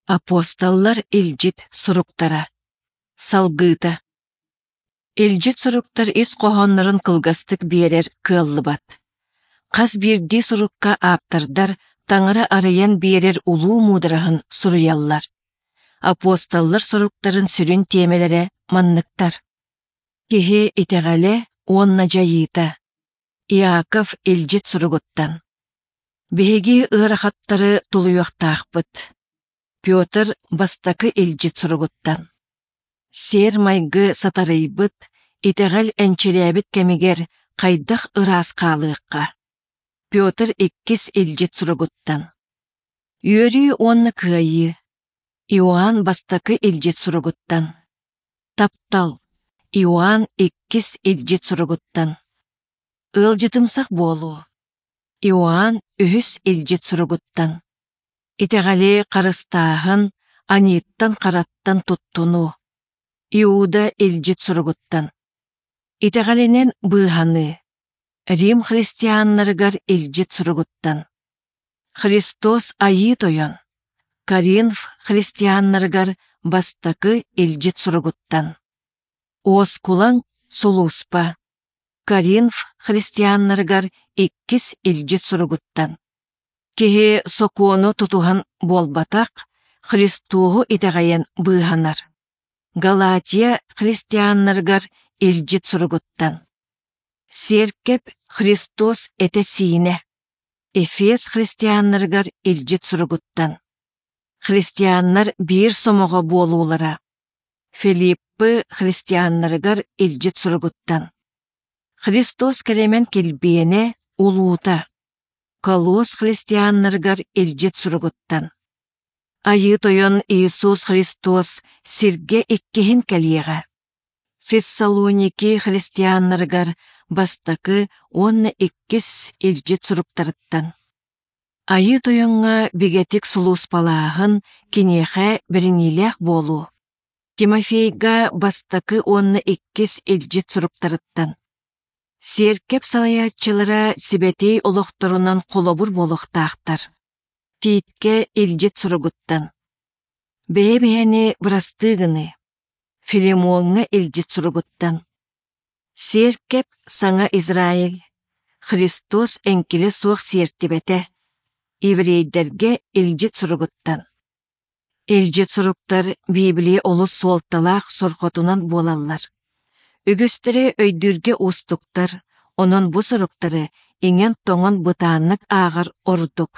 Апостоллар илдьит суруктара. Салгыыта. Илдьит суруктар ис хоһооннорун кылгастык биэрэр кыаллыбат. Хас биирдии сурукка ааптардар Таҥара арыйан биэрэр улуу муудараһын суруйаллар. Апостоллар суруктарын сүрүн тиэмэлэрэ манныктар: Киһи итэҕэлэ уонна дьайыыта. Иаков илдьит суругуттан. Биһиги ыарахаттары тулуйуохтаахпыт. Петр бастакы илдьит суругуттан. Сиэр-майгы сатарыйбыт, итэҕэл энчирээбит кэмигэр хайдах ыраас хаалыахха? Петр иккис илдьит суругуттан. Үөрүү уонна кыайыы. Иоанн бастакы илдьит суругуттан. Таптал. Иоанн иккис илдьит суругуттан. Ыалдьытымсах буолуу. Иоанн үһүс илдьит суругуттан. Итэҕэли харыстааһын, аньыыттан-хараттан туттунуу. Иуда илдьит суругуттан. Итэҕэлинэн быыһаныы. Рим христианнарыгар илдьит суругуттан. Христос Айыы Тойон. Коринф христианнарыгар бастакы илдьит суругуттан. Уоскулаҥ сулууспа. Коринф христианнарыгар иккис илдьит суругуттан. Киһи сокуону тутуһан буолбатах, Христоһу итэҕэйэн быыһанар. Галатия христианнарыгар илдьит суругуттан. Сиэркэп Христос этэ-сиинэ. Эфес христианнарыгар илдьит суругуттан. Христианнар биир сомоҕо буолуулара. Филиппы христианнарыгар илдьит суругуттан. Христос кэлэмэн килбиэнэ улуута. Колос христианнарыгар илдьит суругуттан. Айыы Тойон Иисус Христос сиргэ иккиһин кэлиэҕэ. Фессалоники христианнарыгар бастакы уонна иккис илдьит суруктарыттан. Айыы Тойоҥҥо бигэтик сулууспалааһын киниэхэ бэриниилээх буолуу. Тимофейга бастакы уонна иккис илдьит суруктарыттан. Сиэркэп салайааччылара сибэтиэй олохторунан холобур буолуохтаахтар. Тииткэ илдьит суругуттан. Бэйэ-бэйэни бырастыы гыныы. Филимоҥҥа илдьит суругуттан. Сиэркэп Саҥа Израиль, Христос эҥкилэ суох сиэртибэтэ, еврейдэргэ илдьит суругуттан. Илдьит суруктар Библия олус суолталаах сорҕотунан буолаллар. Үгүстэрэ өйдүүргэ уустуктар, онон бу суруктары иҥэн-тоҥон бытааннык ааҕар ордук.